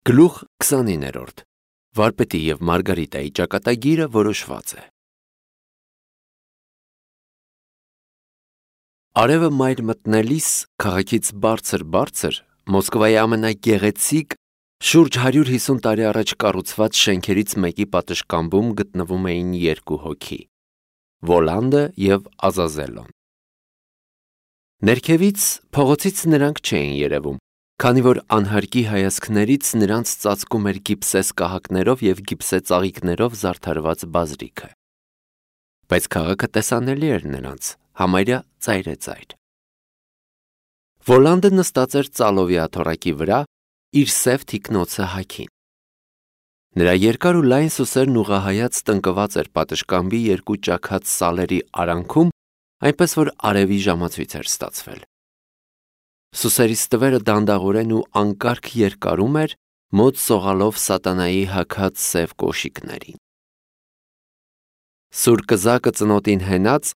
Գլուխ 29. Վարպետի և Մարգարիտայի ճակատագիրը որոշված է։ Արևը մայր մտնելիս քաղաքից բարձր Մոսկվայի ամենագեղեցիկ շուրջ 150 տարի առաջ կառուցված շենքերից մեկի պատշգամբում գտնվում էին երկու հոգի՝ Վոլանդը և Ազազելոն։ Ներքևից փողոցից նրանք չէին երևում, քանի որ անհարկի հայացքներից նրանց ծածկում էր գիպսե սկահակներով և գիպսե ծաղիկներով զարդարված բազրիքը։ Բայց քաղաքը տեսանելի էր նրանց, համարյա ծայրեծայր։ Վոլանդը նստած էր ծալովի աթոռակի վրա, իր սև թիկնոցը հագին։ Նրա երկար ու լայն սուսերն ուղղահայաց տնկված էր պատշգամբի երկու ճաքած սալերի արանքում, այնպես որ արևի ժամացույց էր ստացվել։ Սուսերի ստվերը դանդաղորեն ու անկարգ երկարում էր, մոտ սողալով սատանայի հագած սև կոշիկներին։ Սուր կզակը ծնոտին հենած,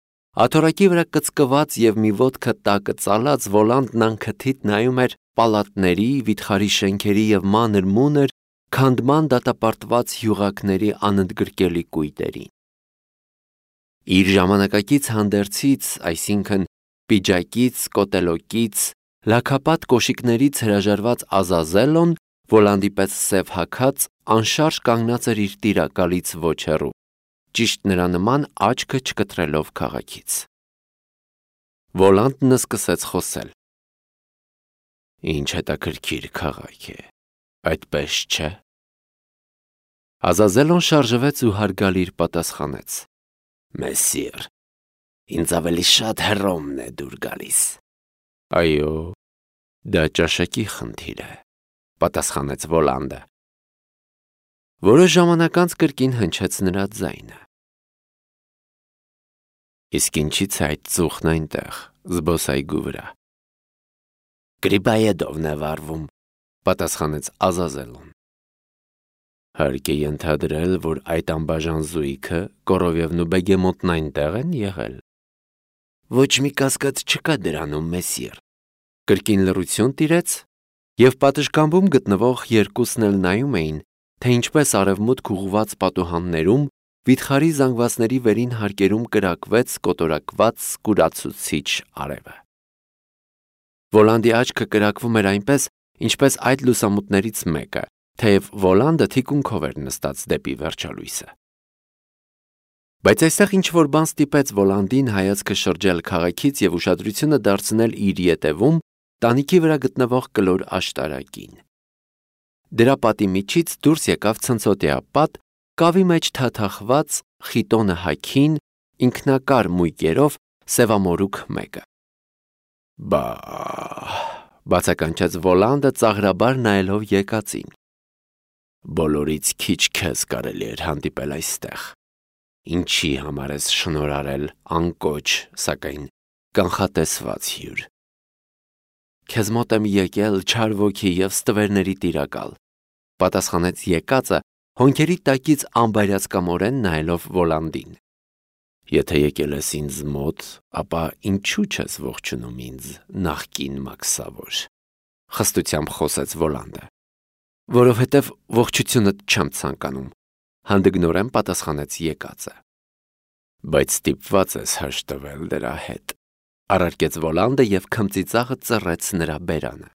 աթոռակի վրա կծկված և մի ոտքը տակը ծալած Վոլանդն անքթիթ նայում էր պալատների, վիթխարի շենքերի և մանր-մունր, քանդման դատապարտված յուղակների անընդգրկելի կույտերին։ Իր ժամանակակից հանդերձից, այսինքն պիջակից, կոտելոկից, լաքապատ կոշիկներից հրաժարված Ազազելոն, Վոլանդի պես սև հագած, անշարժ կանգնած էր իր տիրակալից ոչ հեռու, ճիշտ նրա նման աչքը չկտրելով քաղաքից։ Վոլանդն սկսեց խոսել. «Ինչ հետաքրքիր քաղաք է, այդպես չէ»։ Ազազելոն շարժվեց ու հարգալիր պատասխանեց. «Մեսսիր, ինձ ավելի շատ Հռոմն է դուր գալիս»։ «Այո, դա ճաշակի խնդիր է», պատասխանեց Վոլանդը։ Որոշ ժամանակ անց կրկին հնչեց նրա ձայնը. «Իսկ ինչի՞ց է այդ ծուխն այնտեղ, զբոսայգու վրա»։ «Գրիբաեդովն է վարվում», պատասխանեց Ազազելոն։ «Հարկ է ենթադրել, որ այդ անբաժան զույգը Կորովևն ու Բեգեմոտն այնտեղ են եղել»։ «Ոչ մի կասկած չկա դրանում, մեսսիր»։ Կրկին լռություն տիրեց, և պատշգամբում գտնվող երկուսն էլ նայում էին, թե ինչպես արևմուտք ուղղված պատուհաններում, վիթխարի զանգվածների վերին հարկերում կրակվեց կոտորակված կուրացուցիչ արևը։ Վոլանդի աչքը կրակվում էր այնպես, ինչպես այդ լուսամուտներից մեկը, թեև Վոլանդը թիկունքով էր նստած դեպի վերջալույսը։ Բայց այստեղ ինչ-որ բան ստիպեց Վոլանդին հայացքը շրջել քաղաքից և ուշադրությունը դարձնել իր ետևում տանիքի վրա գտնվող կլոր աշտարակին։ Դրա պատի միջից դուրս եկավ ցնցոտիա պատ, կավի մեջ թաթախված, խիտոնը հագին, ինքնակար մույկերով սևամորուք մեկը։ «Բա՜», բացականչեց Վոլանդը ծաղրաբար նայելով եկածին։ «Բոլորից քիչ քեզ կարելի էր հանդիպել այստեղ։ Ինչի համար ես շնորհարել անկոչ, սակայն կանխատեսված հյուր»։ «Քեզ մոտ եմ եկել չար ոգի և ստվերների տիրակալ», պատասխանեց եկածը, հոնքերի տակից անբայրացկամորեն նայելով Վոլանդին։ «Եթե եկել ես ինձ մոտ, ապա ինչու չես ողջունում ինձ, նախկին մաքսավոր», խստությամբ խոսեց Վոլանդը։ «Որովհետև ողջությունդ չեմ ցանկանում», հանդգնորեն պատասխանեց եկածը։ «Բայց ստիպված ես հաշտվել դրա հետ», առարկեց Վոլանդը և քմծիծաղը ծռեց նրա բերանը։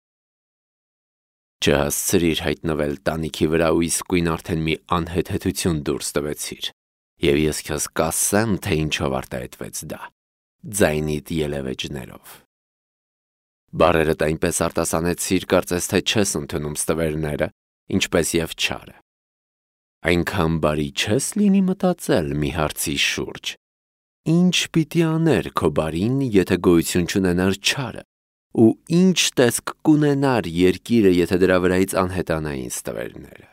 «Չհասցրիր հայտնվել տանիքի վրա ու իսկույն արդեն մի անհեթեթություն դուրս տվեցիր, և ես քեզ կասեմ, թե ինչով արտահայտվեց դա՝ ձայնիդ ելևէջներով։ Բառերդ այնպես արտասանեցիր, կարծես թե չես ընդունում ստվերները, ինչպես և չարը։ Այնքան բարի չես լինի մտածել մի հարցի շուրջ. ինչ պիտի աներ քո բարին, եթե գոյություն չունենար չարը, ու ինչ տեսք կունենար երկիրը, եթե դրա վրայից անհետանային ստվերները։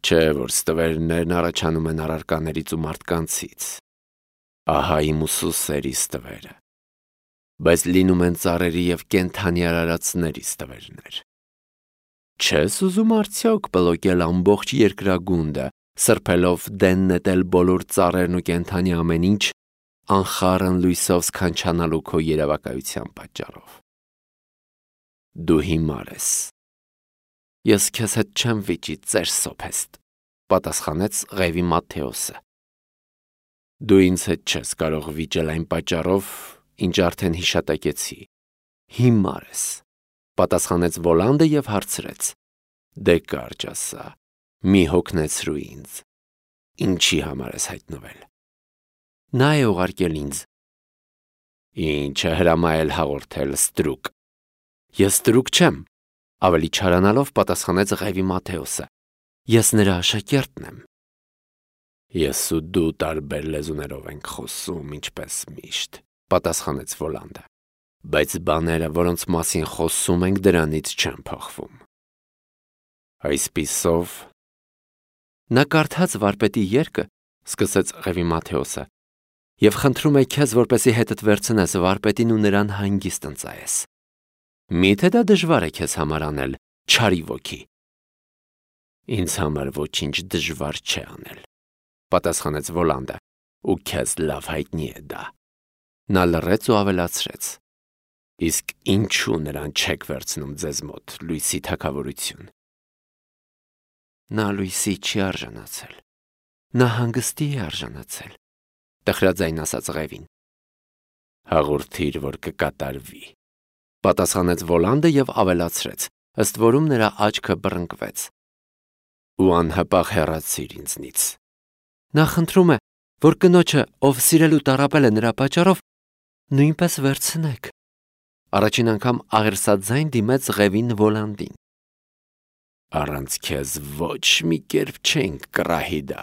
Չէ՞ որ ստվերներն առաջանում են առարկաներից ու մարդկանցից։ Ահա իմ ուսուսերի ստվերը։ Բայց լինում են ծառերի և կենդանի արարածների ստվերներ։ Չես ուզում արդյոք պլոկել ամբողջ երկրագունդը, սրբելով դեն նետել բոլոր ծառերն ու կենդանի ամեն ինչ, անխառն լույսով սքանչանալու քո երևակայության պատճառով։ Դու հիմար ես։ Ես քեզ հետ չեմ վիճի, ծեր սոփեստ, պատասխանեց Ղևի Մատթեոսը։ Դու ինձ հետ չես կարող վիճել այն պատճառով, ինչ արդեն հիշատակեցի։ Հիմար ես, պատասխանեց Վոլանդը եւ հարցրեց. Դե կարճ ասա, մի հոգնեցրու ինձ։ Ինչի համար ես հայտնվել։ Նա է ուղարկել ինձ։ Ինչ է հրամայել հաղորդել ստրուկ։ Ես ստրուկ չեմ, ավելի չարանալով պատասխանեց Ղևի Մատթեոսը։ Ես նրա աշակերտն եմ։ Ես ու դու տարբեր լեզուներով ենք խոսում, ինչպես միշտ, պատասխանեց Վոլանդը։ Բայց բաները, որոնց մասին խոսում ենք, դրանից չեն փոխվում։ Այսպիսով, նա կարդաց վարպետի երգը, սկսեց Ղևի Մատթեոսը, եւ խնդրում է քեզ, որպեսզի հետդ վերցնես վարպետին ու նրան հանգիստ ընծայես։ Միթե դա դժվար է քեզ համար անել, չարի ոգի։ Ինձ համար ոչինչ դժվար չէ անել, պատասխանեց Վոլանդը, ու քեզ լավ հայտնի է դա։ Նա լռեց ու ավելացրեց. Իսկ ինչու նրան չեք վերցնում ձեզ մոտ լույսի թագավորություն։ Նա լույսի չի արժանացել։ Նա հանգստի է արժանացել, տխրաձայն ասաց Ղևին։ Հաղորդիր, որ կկատարվի, պատասխանեց Վոլանդը եւ ավելացրեց, ըստ որում նրա աչքը բռնկվեց։ Ու անհապաղ հեռացիր ինձնից։ Նա խնդրում է, որ կնոջը, ով սիրել ու տառապել է նրա պատճառով, նույնպես վերցնեք։ Առաջին անգամ աղերսաձայն դիմեց Ղևին Վոլանդին։ Առանց քեզ ոչ մի կերպ չենք կռահի դա։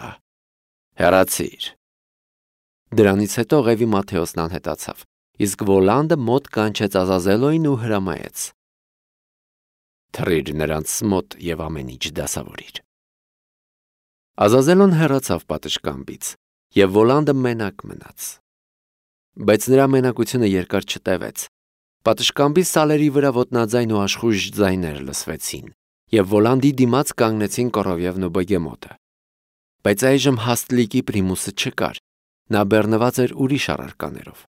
Հեռացիր։ Դրանից հետո Ղևի Մատթեոսն անհետացավ, իսկ Վոլանդը մոտ կանչեց Ազազելոյին ու հրամայեց. Թռիր նրանց մոտ եւ ամեն ինչ դասավորիր։ Ազազելոն հեռացավ պատշգամբից, եւ Վոլանդը մենակ մնաց։ Բայց նրա մենակությունը երկար չտևեց։ Պատշգամբի սալերի վրա ոտնաձայն ու աշխույժ ձայներ լսվեցին, եւ Վոլանդի դիմաց կանգնեցին Կորովևն ու Բեգեմոտը։ Բայց այժմ Հաստլիկի պրիմուսը չկար, նա բեռնված էր ուրիշ առարկաներով։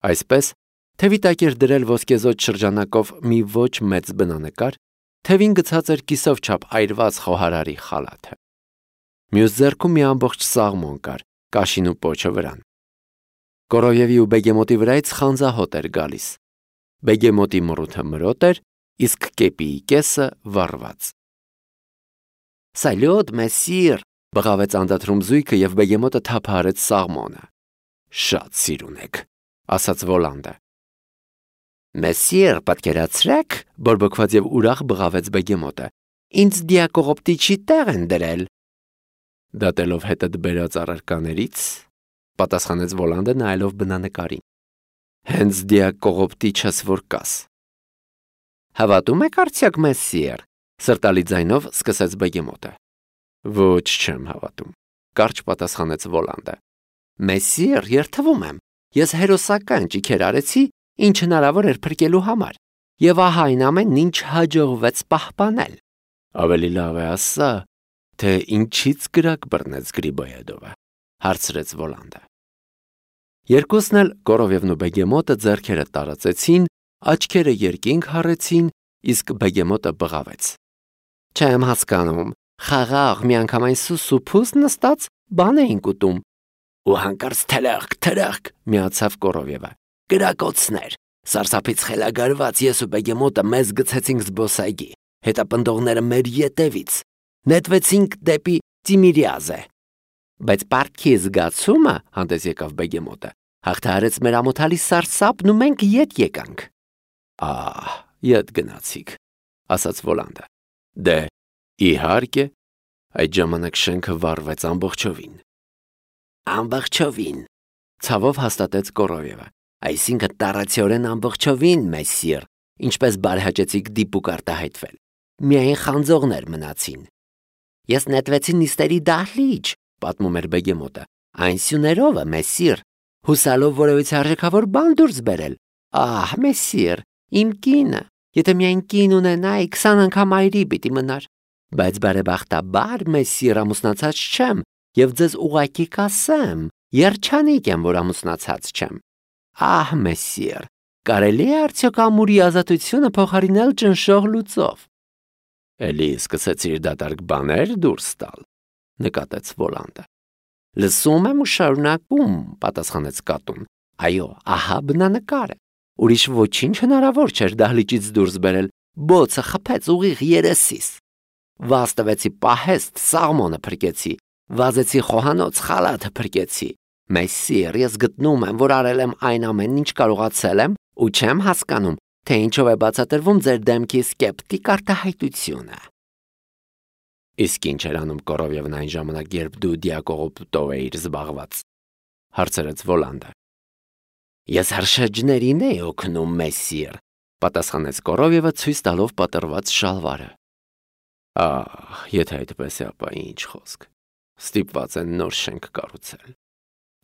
Այսպես, թևի տակ էր դրել ոսկեզօծ շրջանակով մի ոչ մեծ բնանկար, թևին գցած էր կիսով չափ այրված խոհարարի խալաթը։ Մյուս ձեռքում մի ամբողջ սաղմոն կար, կաշին ու պոչը վրան։ Կորովևի ու Բեգեմոտի վրայից խանձահոտ էր գալիս։ Բեգեմոտի մռութը մրոտ էր, իսկ կեպիի կեսը վառված։ Սալյոտ, մեսիր, բղավեց անդադրում զույգը եւ Բեգեմոտը թափահարեց սաղմոնը։ Շատ սիրուն եք, ասաց Վոլանդը։ Մեսիր, պատկերացրեք, բորբոքված եւ ուրախ բղավեց Բեգեմոտը։ Ինձ դիակողոպտիչի տեղ են դրել։ Դատելով հետդ բերած առարկաներից, պատասխանեց Վոլանդը նայելով բնանկարին։ Հենց դիակողոպտիչս որ կաս։ Հավատում եք արդյոք, մեսիր, սրտալի ձայնով սկսեց Բեգեմոտը։ Ոչ չեմ հավատում, կարճ պատասխանեց Վոլանդը։ Մեսիր, երթվում եմ, ես հերոսական ճիքեր արեցի, ինչ հնարավոր էր փրկելու համար, եւ ահա այն ամենն ինչ հաջողվեց պահպանել։ Ավելի լավ է ասա, թե ինչից կրակ բռնեց Գրիբոյեդովը, հարցրեց Վոլանդը։ Երկուսն էլ Կորովևն ու Բեգեմոտը ձեռքերը տարածեցին, աչքերը երկինք հառեցին, իսկ Բեգեմոտը բղավեց։ Չեմ հասկանում, խաղաղ միանգամայն սուսուփուս նստած բան էինք ուտում։ Ու հանկարծ թրախկ միացավ Կորովևը։ Կրակոցներ, սարսափից խելագարված ես ու Բեգեմոտը մեզ գցեցինք զբոսայգի, հետապնդողները մեր ետևից, նետվեցինք դեպի Տիմիրիազե։ Բայց պարտքի զգացումը, հանդես եկավ Բեգեմոտը, հաղթահարեց մեր ամոթալի սարսափն ու մենք ետ եկանք։ Ահ, ետ գնացիք, ասաց Վոլանդը։ Դե, իհարկե, այդ ժամանակ շենքը վառվեց ամբողջովին։ Ամբողջովին, ցավով հաստատեց Կորովևը։ Այսինքն տարածիորեն ամբողջովին, մեսիր, ինչպես բարհաճեցիք դիպուկ արտահայտվել։ Միայն խանձողներ մնացին։ Ես նետվեցի նիստերի դահլիճ, պատմում էր Բեգեմոտը։ Այն սյուներովը, մեսիր, հուսալով որևիցե արժեքավոր բան դուրս բերել։ Ահ, մեսիր, իմ կինը, եթե միայն կին ունենայի, 20 անգամ այրի պիտի մնար։ Բայց բարեբախտաբար, մեսիր, ամուսնացած չեմ, եւ ձեզ ուղղակի կասեմ, երջանիկ եմ, որ ամուսնացած չեմ։ Ահ, մեսիր, կարելի է արդյոք ամուրի ազատությունը փոխարինել ճնշող լուծով։ Էլի սկսեցիր դատարկ բաներ դուրս տալ, նկատեց Վոլանդը։ Լսում եմ ու շարունակում, պատասխանեց կատուն։ Այո, ահա բնանկարը։ Ուրիշ ոչինչ հնարավոր չէր դահլիճից դուրս բերել, բոցը խփեց ուղիղ երեսիս։ Վազ տվեցի պահեստ, սաղմոնը փրկեցի, վազեցի խոհանոց, խալաթը փրկեցի։ Մեսսիր, ես գտնում եմ, որ արել եմ այն ամենն, ինչ կարողացել եմ, ու չեմ հասկանում, թե ինչով է բացատրվում ձեր դեմքի սկեպտիկ արտահայտությունը։ Իսկ ինչ էր անում Կորովևն այն ժամանակ, երբ դու դիակողոպտով էիր զբաղված, հարցրեց Վոլանդը։ Ես հրշեջներին էի օգնում, մեսսիր, պատասխանեց Կորովևը ցույց տալով պատրված շալվարը։ Ահ, եթե այդպես է, ապա ինչ խոսք։ Ստիպված են նոր շենք կառուցել։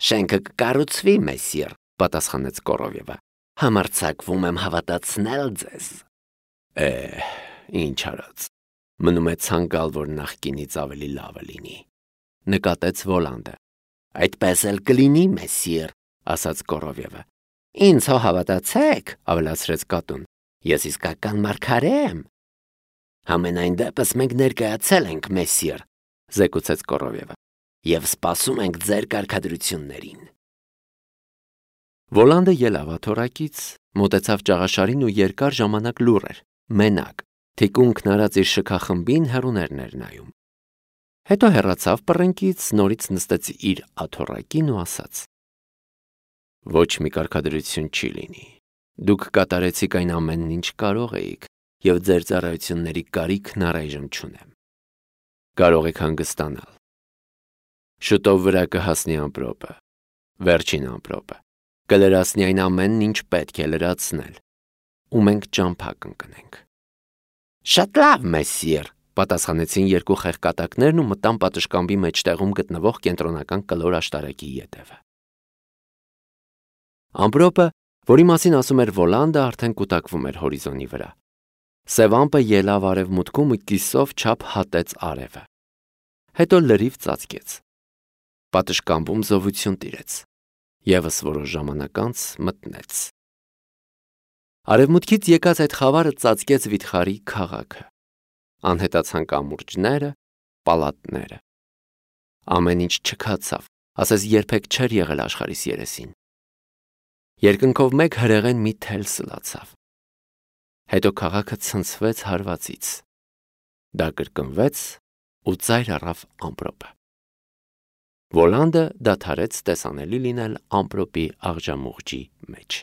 Շենքը կկառուցվի, մեսսիր, պատասխանեց Կորովևը։ Համարձակվում եմ հավատացնել ձեզ։ Ինչ արած։ Մնում է ցանկալ, որ նախկինից ավելի լավը լինի, նկատեց Վոլանդը։ Այդպես էլ կլինի, մեսսիր, ասաց Կորովևը։ Ինձ հո հավատացեք, ավելացրեց կատուն։ Ես իսկական մարգարե եմ։ Համենայն դեպս մենք ներկայացել ենք, մեսսիր, զեկուցեց Կորովևը, եւ սպասում ենք ձեր կարգադրություններին։ Վոլանդը ելավ աթոռակից, մոտեցավ ճաղաշարին ու երկար ժամանակ լուռ էր, մենակ, թիկունքն արած իր շքախմբին հեռուներն էր նայում։ Հետո հեռացավ պռնկից, նորից նստեց իր աթոռակին ու ասաց. Ոչ մի կարգադրություն չի լինի։ Դուք կատարեցիք այն ամենն, ինչ կարող էիք, եւ ձեր ծառայությունների կարիքն առայժմ չունեմ։ Կարող եք հանգստանալ։ Շուտով վրա կհասնի ամպրոպը, վերջին ամպրոպը, կլրացնի այն ամենն, ինչ պետք է լրացնել, ու մենք ճամփա կընկնենք։ Շատ լավ, մեսսիր, պատասխանեցին երկու խեղկատակներն ու մտան պատշգամբի մեջտեղում գտնվող կենտրոնական կլոր աշտարակի ետևը։ Ամպրոպը, որի մասին ասում էր Վոլանդը, արդեն կուտակվում էր հորիզոնի վրա։ Սև ամպը ելավ արևմուտքում ու կիսով չափ հատեց արևը։ Հետո լրիվ ծածկեց։ Պատշգամբում զովություն տիրեց։ Եվս որոշ ժամանակ անց մտնեց։ Արևմուտքից եկած այդ խավարը ծածկեց վիթխարի քաղաքը։ Անհետացան կամուրջները, պալատները։ Ամեն ինչ չքացավ, ասես երբեք չէր եղել աշխարհիս երեսին։ Երկնքով մեկ հրեղեն մի թել սլացավ։ Հետո քաղաքը ցնցվեց հարվածից։ Դա կրկնվեց ու ծայր առավ ամպրոպը։ Վոլանդը դադարեց տեսանելի լինել ամպրոպի աղջամուղջի մեջ։